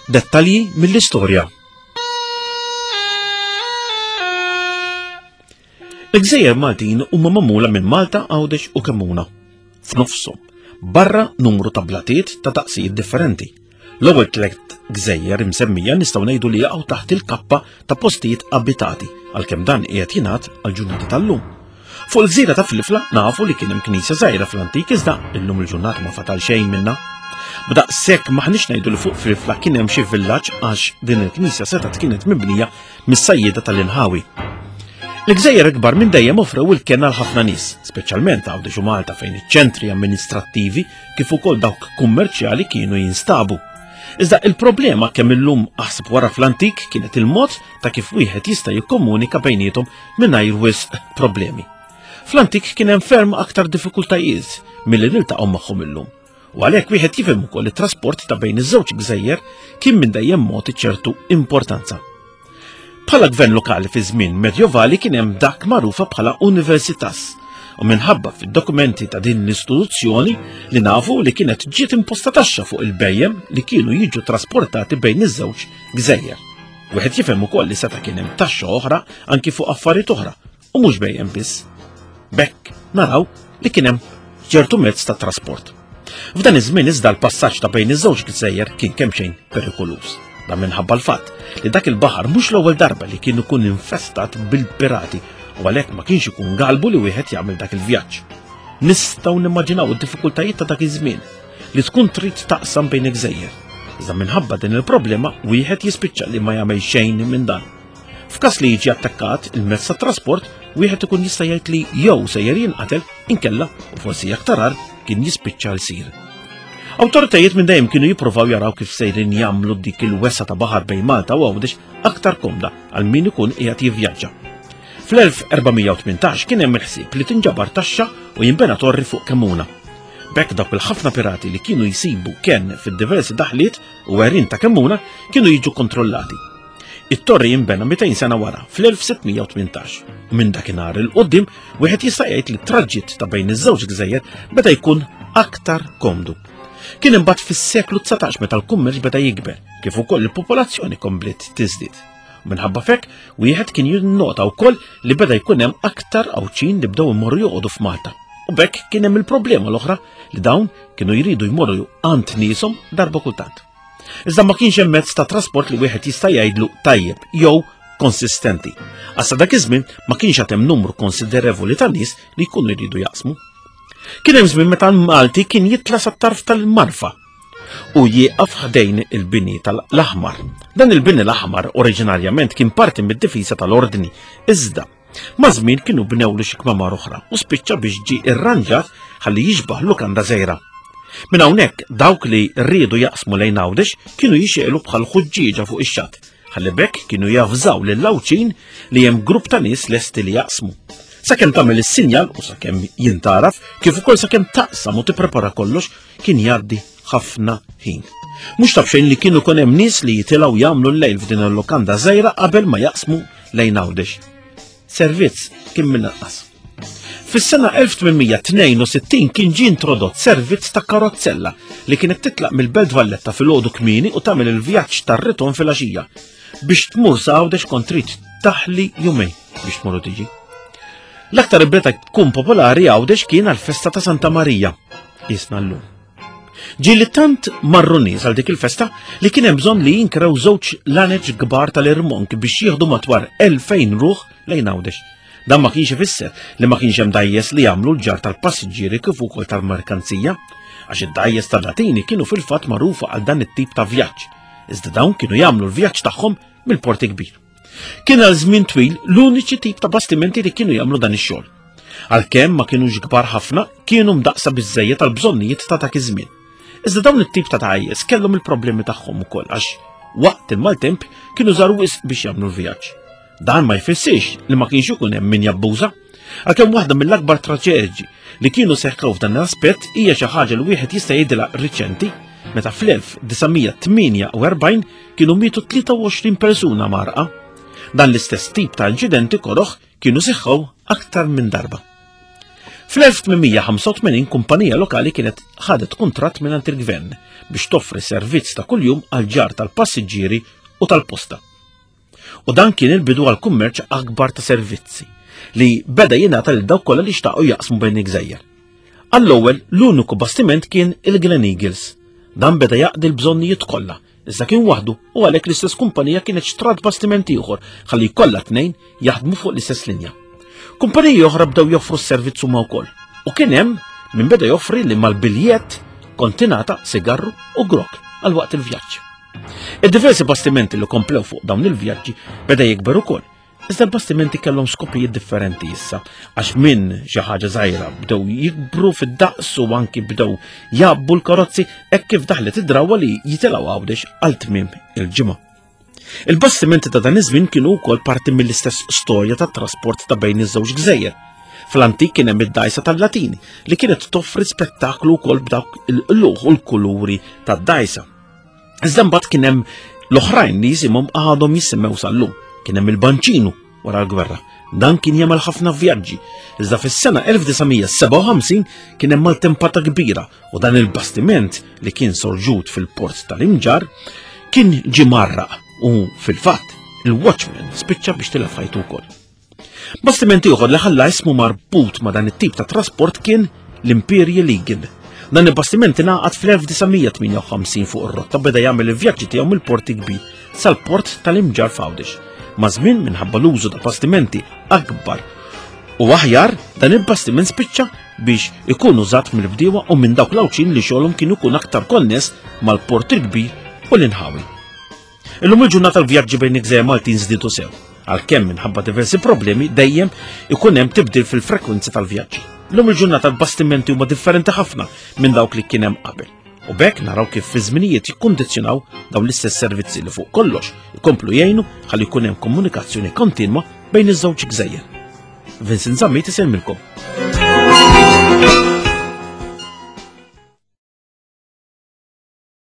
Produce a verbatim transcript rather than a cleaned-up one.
Dettalji mill-istorja. Il-gżejjer Maltin huma magħmula minn Malta, Għawdex u Kemmuna. F'nofshom, barra numru ta' blatiet ta' daqsijiet differenti. L-ewwel tliet gżejjer imsemmija nistgħu ngħidu li jaqgħu taħt il-kappa ta' postijiet abitati, għalkemm dan qiegħed jingħad għall-ġurnata tal-lum. Fuq il-gżira ta' Filifla nafu li kien hemm knisja żgħira fl-antik, iżda illum il-ġurnata ma fatal xejn minnha. B'daqshekk m'aħniex ngħidu li fuq Filifla kien hemm xi villaġġ, għax din il-knisja setgħet kienet mibnija mis-sajjieda tal-inħawi. Il-gżejjer ikbar minn dejjem offrew il-kenn għal ħafna nies, speċjalment Għawdex u Malta fejn iċ-ċentri amministrattivi kif ukoll dawk kummerċjali kienu jinstabu. Iżda il-problema kemm illum aħseb wara fl-antik kienet il-mod ta' kif wieħed jista' jikkomunika bejniethom mingħajr wisq problemi. Fl-antik kien hemm ferm aktar diffikultajiet milli niltaqgħu magħhom illum. U għalhekk wieħed jifhem ukoll it-trasport ta' bejn iż-żewġ gżejjer kien minn dejjem mogħti ċertu importanza. Bħala gvern lokali fi żmien medjovali kien hemm dak magħrufa bħala universitas, u minħabba fid-dokumenti ta' din l-istituzzjoni li nafu li kienet ġiet imposta taxxa fuq il-bejjem li kienu jiġu trasportati bejn iż-żewġ gżejjer. Wieħed jifhem ukoll li seta' kien hemm taxxa oħra anki fuq affarijiet oħra u mhux bejjem biss. B'hekk naraw li kien hemm ċertu mezz ta' trasport. F'dan iż-żmien iżda l-passaġġ ta' bejn iż-żewġ gżejjer kien kemm xejn perikoluż. Dan minħabba l-fatt li dak il-baħar mhux l-ewwel darba li kien ikun infestat bil-pirati u għalhekk ma kienx ikun galbu li wieħed jagħmel dak il-vjaġġ. Nistgħu nimmaġinaw id-diffikultajiet ta' dak iż-żmien li tkun trid taqsam bejn il-gżejjer. Iżda minħabba din il-problema wieħed jispiċċa li ma jagħmel xejn minn dan. F'każ li jiġi attakkat il-mezz ta' trasport, wieħed ikun jista' jgħid li jew sejjer jinqatel inkella u forsi aktar agħar kien jispiċċa l-sir. Awtoritajiet minn dejjem kienu jippruvaw jaraw kif sejrin jagħmlu dik il-wesgħa ta' baħar bejn Malta u Għawdex aktar komda għal min ikun qiegħed jivvjaġġa. Fl-elf erba' mija u tmintax kien hemm il-ħsieb li tinġabar taxxa u jinbena torri fuq Kemmuna. B'hekk dawk il-ħafna pirati li kienu jsibu kenn fid-diversi daħliet u għerien ta' Kemmuna kienu jiġu kontrollati. It-torri jinbena mitejn sena wara, fl-elf sitt mija u tmintax. U minn dakinhar il quddiem wieħed jista' jgħid li t-traġitt ta' bejn iż-żewġ gżejjer beda jkun aktar komdu. Kien imbagħad fis-seklu dsatax meta l-kummerċ beda jikber, kif ukoll il-popolazzjoni kompliet tiżdied. Minħabba f'hekk, wieħed kien jinnota wkoll li beda jkun hemm aktar Għawdxin li bdew imorru joqogħdu f'Malta. U b'hekk kien hemm il-problema l-oħra li dawn kienu jridu jmorru għand nieshom darba kultant. Iżda ma kienx hemm mezz ta' trasport li wieħed jista' jgħidlu tajjeb jew konsistenti. Għassa dak iż-żmien ma kienx għad hemm numru konsiderevoli ta' nies li jkunu jridu jaqsmu. Kien hemm żmien meta l-Malti kien jitla' sat-tarf tal-Marfa u jieqaf ħdejn il-bini tal-Aħmar. Dan il-bini l-Aħmar oriġinarjament kien parti mid-difiża tal-Ordni, iżda ma' żmien kienu bnewlu xi kmamar oħra u spiċċa biex ġie irranġat ħalli jixbaħ lukanda żgħira. Minn hawnhekk dawk li riedu jaqsmu lejn Għawdex kienu jixegħlu bħal ħuġġieġa fuq ix-xatt, ħalli b'hekk kienu javżaw lill-Għawdxin li hemm grupp ta' nies lesti li jaqsmu. Sakemm tagħmel is-sinjal u sakemm jintaraf, kif ukoll sakemm taqsam u tipprepara kollox, kien jgħaddi ħafna ħin. Mhux taf xejn li kienu kun hemm nies li jitilgħu jagħmlu l-lejl f'din il-lukanda żgħira qabel ma jaqsmu lejn Għawdex. Servizz kien minn anqas. Fis-sena elf tmien mija tnejn u sittin kien ġie introdott servizz ta' karozzella li kienet titlaq mill-Belt Valletta fil-għodu kmieni u tagħmel il-vjaġġ tar-ritorn fil-għaxija. Biex tmur sa Għawdex kont trid taħli jumejn biex tmur u tiġi. L-aktar beta tkun popolari Għawdex kien għall-festa ta' Santa Marija, jisna llum. Ġieli tant marru nies għal dik il-festa li kien hemm bżonn li jinkrew żewġ laneġ kbar tal-irmonk biex jieħdu matwar elfejn ruħ lejn Għawdex. Dan ma kienx ifisser li ma kienx hemm dgħajjes li jagħmlu l-ġarr tal-passiġġieri kif ukoll tal-merkanzija, għax id-dgħajjes tal-Latini kienu fil-fatt magħrufa għal dan it-tip ta' vjaġġ. Iżda dawn kienu jagħmlu l-vjaġġ tagħhom mill-Port Kbir. Kien għal żmien twil l-uniċi tip ta' bastimenti li kienu jagħmlu dan ix-xogħol. Għalkemm ma kienux kbar ħafna, kienu mdaqsa biżżejjed tal-bżonnijiet ta' dak iż-żmien. Iżda dawn it-tip ta' dgħajjes kellhom il-problemi tagħhom ukoll għax waqt il-maltemp kienu żaru wisq biex jagħmlu l-vjaġġ. Dan ma jfissirx li ma kienx ikun hemm min jabbuża. Għalkemm waħda mill-akbar traġedji li kienu seħħew f'dan l-aspett hija xi ħaġa li wieħed jista' jgħidilha riċenti, meta fl-elf disa' mija tmienja u erbgħin kienu mietu tlieta u għoxrin persuna marqa. Dan l-istess tip ta' inċidenti koroħ kienu seħħew aktar minn darba. Fl-elf tmien mija ħamsa u tmenin kumpanija lokali kienet ħadet kuntratt mingħand il-gvern biex toffri servizz ta' kuljum għal ġarr tal-passiġġieri u tal-posta. U dan kien il-bidu għal kummerċ akbar ta' servizzi li beda jingħata lil dawk kollha li xtaqu jaqsmu bejn il-gżejjer. Għall-ewwel l-uniku bastiment kien il-Glen Eagles. Dan beda jaqdi l-bżonnijiet kollha, iżda kien waħdu u għalhekk l-istess kumpanija kienet xtrat bastiment ieħor ħalli jkollha tnejn jaħdmu fuq l-istess linja. Kumpaniji oħra bdew joffru s-servizz huma wkoll u kien hemm min beda joffri li mal-biljett kont tingħata sigarru u grok għal waqt il-vjaġġ. Id-diversi bastimenti li komplew fuq dawn il-vjaġġi beda jikber ukoll. Iżda l-bastimenti kellhom skopijiet differenti issa, għax minn xi ħaġa żgħira bdew jikbru fid-daqs u anki bdew jgħabbu l-karozzi hekk kif daħlet id-drawwa li jitilgħu Għawdex għal tmiem il-ġimgħa. Il-bastimenti ta' dan iż-żmien kienu wkoll parti mill-istess storja tat-trasport ta' bejn iż-żewġ gżejjer. Fl-antik kien hemm id-dgħajsa tal-Latini li kienet toffri spettaklu wkoll b'dawk il-qluħ u l-kuluri tad-dgħajsa. Iżda mbagħad kien hemm l-oħrajn li jisimhom għadhom jissemmew sal-lum. Kien hemm il-Banċinu wara l-gwerra. Dan kien jagħmel ħafna vjaġġi. Iżda fis-sena elf disa' mija sebgħa u ħamsin kien hemm maltempata kbira u dan il-bastiment li kien sorġut fil-port tal-Imġarr kien ġie mgħarraq u fil-fatt il-Watchman spiċċa biex tilef ħajtu wkoll. Bastiment ieħor li ħalla ismu marbut ma' dan it-tip ta' trasport kien l-Imperial Eagle. Dan il-bastiment ingħaqad fl-elf disa' mija tmienja u ħamsin fuq ir-rotta beda jagħmel il-vjaġġi tiegħu mill-port kbir sal-port tal-Imġarr f'Għawdex. Ma' żmien minħabba l-użu ta' bastimenti akbar u aħjar, dan il-bastiment spiċċa biex ikun użat mill-bdiewa u minn dawk l-Għawdxin li xogħolhom kienu jkun aktar konness mal-port il-kbir u l-inħawi. Illum il-ġurnata l-vjaġġi bejn il-gżejjer Maltin żdiedu sew, għalkemm minħabba diversi problemi dejjem ikun hemm tibdil fil-frekwenzi tal-vjaġġi. Illum il-ġurnata l-bastimenti huma differenti ħafna minn dawk li kien hemm qabel. U b'hekk naraw kif fi żminijiet jikkundizzjonaw dawn l-istess servizzi li fuq kollox ikomplu jgħinu ħalli jkun hemm komunikazzjoni kontinwa bejn iż-żewġ gżejjer. Vincent Zammit isellmilkom.